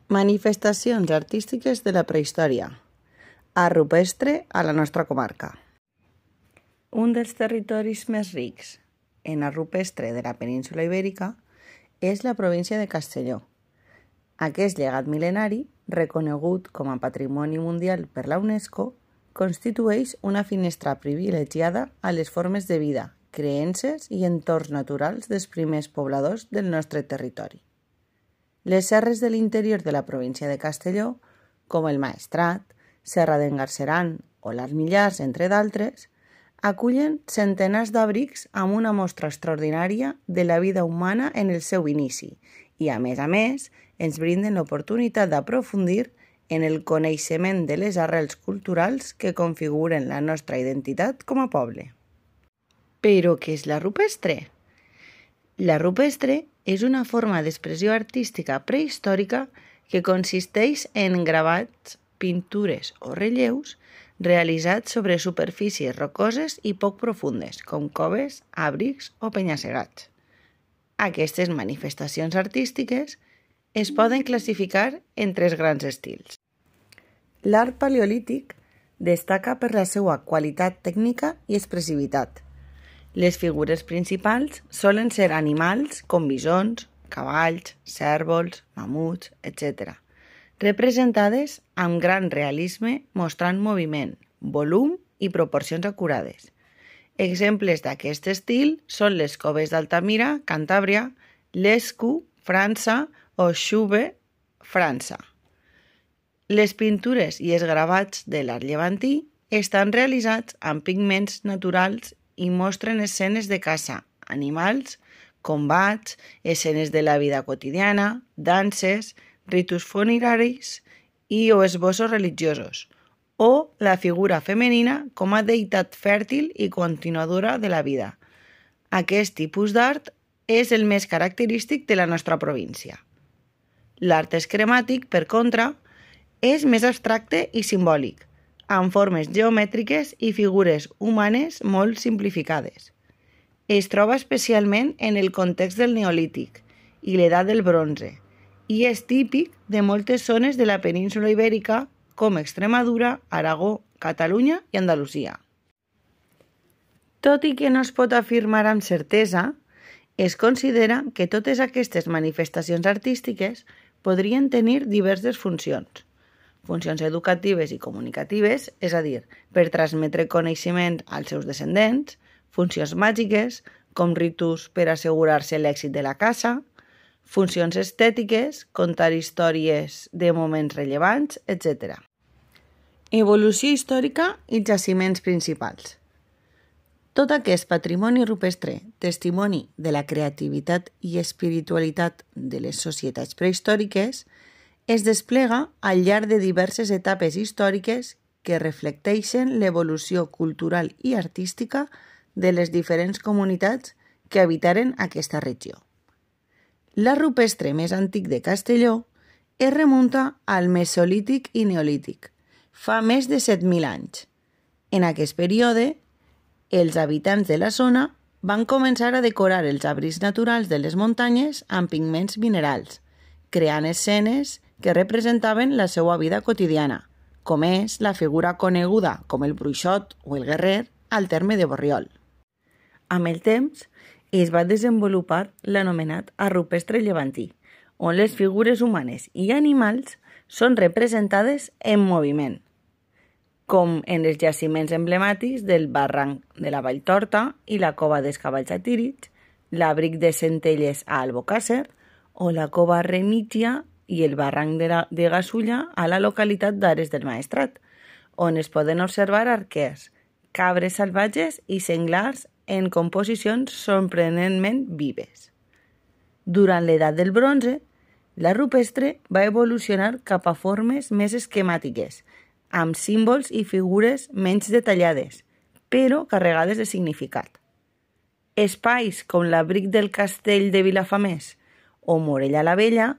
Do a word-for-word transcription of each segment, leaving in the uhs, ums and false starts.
Manifestacions artístiques de la prehistòria. Art rupestre a la nostra comarca. Un dels territoris més rics en art rupestre de la península Ibèrica és la província de Castelló. Aquest llegat mil·lenari, reconegut com a Patrimoni Mundial per la UNESCO, constitueix una finestra privilegiada a les formes de vida, creences i entorns naturals dels primers pobladors del nostre territori. Les serres de l'interior de la província de Castelló, com el Maestrat, Serra d'en Galceran o les Millars, entre d'altres, acullen centenars d'abrics amb una mostra extraordinària de la vida humana en el seu inici i, a més a més, ens brinden l'oportunitat d'aprofundir en el coneixement de les arrels culturals que configuren la nostra identitat com a poble. Però què és la rupestre? La rupestre és una forma d'expressió artística prehistòrica que consisteix en gravats, pintures o relleus realitzats sobre superfícies rocoses i poc profundes, com coves, àbrics o penya-segats. Aquestes manifestacions artístiques es poden classificar en tres grans estils. L'art paleolític destaca per la seva qualitat tècnica i expressivitat. Les figures principals solen ser animals com bisons, cavalls, cérvols, mamuts, etcètera, representades amb gran realisme mostrant moviment, volum i proporcions acurades. Exemples d'aquest estil són les coves d'Altamira, Cantàbria, l'Escu, França o Xúber, França. Les pintures i els gravats de l'art llevantí estan realitzats amb pigments naturals i mostren escenes de caça, animals, combats, escenes de la vida quotidiana, danses, ritus funeraris i o esbossos religiosos, o la figura femenina com a deïtat fèrtil i continuadora de la vida. Aquest tipus d'art és el més característic de la nostra província. L'art esquemàtic, per contra, és més abstracte i simbòlic, amb formes geomètriques i figures humanes molt simplificades. Es troba especialment en el context del Neolític i l'edat del bronze i és típic de moltes zones de la península Ibèrica com Extremadura, Aragó, Catalunya i Andalusia. Tot i que no es pot afirmar amb certesa, es considera que totes aquestes manifestacions artístiques podrien tenir diverses funcions. Funcions educatives i comunicatives, és a dir, per transmetre coneixement als seus descendents, funcions màgiques, com ritus per assegurar-se l'èxit de la caça, funcions estètiques, contar històries de moments rellevants, etcètera. Evolució històrica i jaciments principals. Tot aquest patrimoni rupestre, testimoni de la creativitat i espiritualitat de les societats prehistòriques, es desplega al llarg de diverses etapes històriques que reflecteixen l'evolució cultural i artística de les diferents comunitats que habitaren aquesta regió. L'art rupestre més antic de Castelló es remunta al Mesolític i Neolític, fa més de set mil anys. En aquest període, els habitants de la zona van començar a decorar els abrics naturals de les muntanyes amb pigments minerals, creant escenes que representaven la seva vida quotidiana, com és la figura coneguda com el bruixot o el guerrer al terme de Borriol. Amb el temps, es va desenvolupar l'anomenat art rupestre llevantí, on les figures humanes i animals són representades en moviment, com en els jaciments emblemàtics del barranc de la Valltorta i la cova dels cavalls a Tírig, l'abric de Centelles a Albocàsser o la cova Remígia i el barranc de, la, de Gasulla a la localitat d'Ares del Maestrat, on es poden observar arquers, cabres salvatges i senglars en composicions sorprenentment vives. Durant l'edat del bronze, la rupestre va evolucionar cap a formes més esquemàtiques, amb símbols i figures menys detallades, però carregades de significat. Espais com l'abric del castell de Vilafamés o Morella la Vella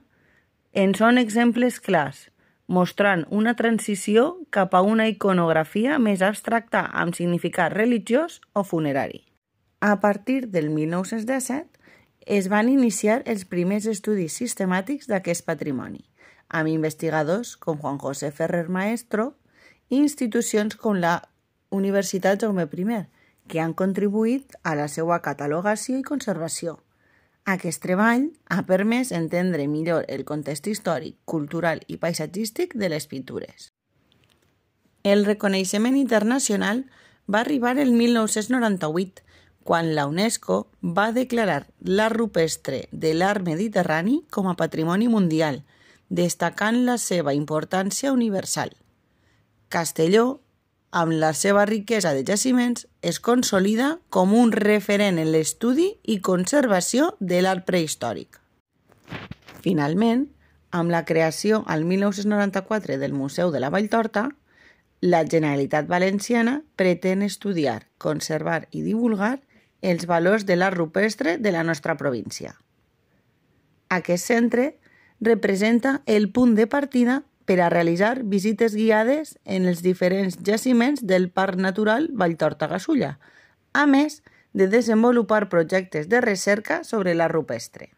en són exemples clars, mostrant una transició cap a una iconografia més abstracta amb significat religiós o funerari. A partir del mil nou-cents disset, es van iniciar els primers estudis sistemàtics d'aquest patrimoni, amb investigadors com Juan José Ferrer Maestro i institucions com la Universitat Jaume primer, que han contribuït a la seva catalogació i conservació. Aquest treball ha permès entendre millor el context històric, cultural i paisatgístic de les pintures. El reconeixement internacional va arribar el mil nou-cents noranta-vuit, quan la UNESCO va declarar l'art rupestre de l'art mediterrani com a patrimoni mundial, destacant la seva importància universal. Castelló, amb la seva riquesa de jaciments, es consolida com un referent en l'estudi i conservació de l'art prehistòric. Finalment, amb la creació al mil nou-cents noranta-quatre del Museu de la Valltorta, la Generalitat Valenciana pretén estudiar, conservar i divulgar els valors de l'art rupestre de la nostra província. Aquest centre representa el punt de partida per a realitzar visites guiades en els diferents jaciments del Parc Natural Valltorta-Gasulla, a més de desenvolupar projectes de recerca sobre l'art rupestre.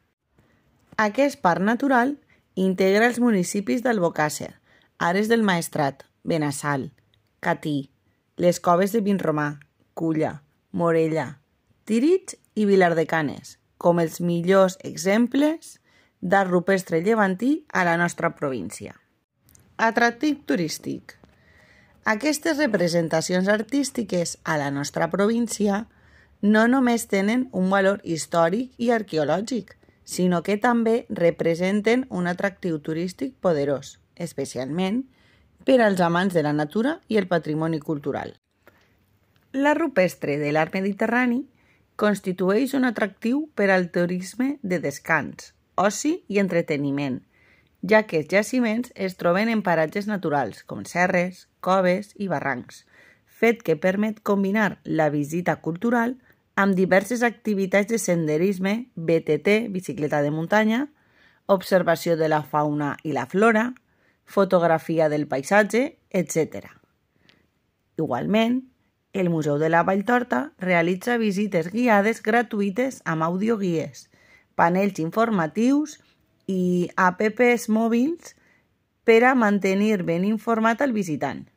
Aquest parc natural integra els municipis d'Albocàsser, Ares del Maestrat, Benassal, Catí, les Coves de Vinromà, Culla, Morella, Tírig i Vilar de Canes, com els millors exemples d'art rupestre llevantí a la nostra província. Atractiu turístic. Aquestes representacions artístiques a la nostra província no només tenen un valor històric i arqueològic, sinó que també representen un atractiu turístic poderós, especialment per als amants de la natura i el patrimoni cultural. L'art rupestre de l'art mediterrani constitueix un atractiu per al turisme de descans, oci i entreteniment, ja que els jaciments es troben en paratges naturals com serres, coves i barrancs, fet que permet combinar la visita cultural amb diverses activitats de senderisme, B T T, bicicleta de muntanya, observació de la fauna i la flora, fotografia del paisatge, etcètera. Igualment, el Museu de la Valltorta realitza visites guiades gratuïtes amb audioguies, panells informatius i apps mòbils per a mantenir ben informat al visitant.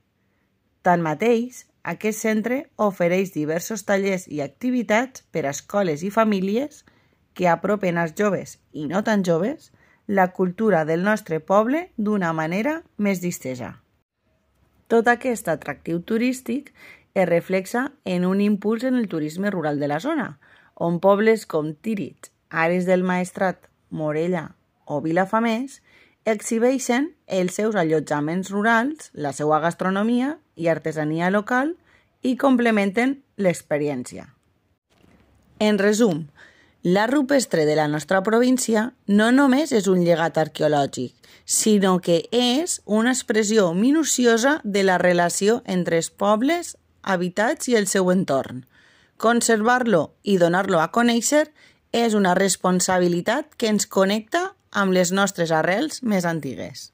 Tanmateix, aquest centre ofereix diversos tallers i activitats per a escoles i famílies que apropen als joves i no tan joves la cultura del nostre poble d'una manera més distesa. Tot aquest atractiu turístic es reflexa en un impuls en el turisme rural de la zona, on pobles com Tírig, Ares del Maestrat, Morella o Vilafamés exhibeixen els seus allotjaments rurals, la seva gastronomia i artesania local i complementen l'experiència. En resum, l'art rupestre de la nostra província no només és un llegat arqueològic, sinó que és una expressió minuciosa de la relació entre els pobles habitats i el seu entorn. Conservar-lo i donar-lo a conèixer és una responsabilitat que ens connecta amb les nostres arrels més antigues.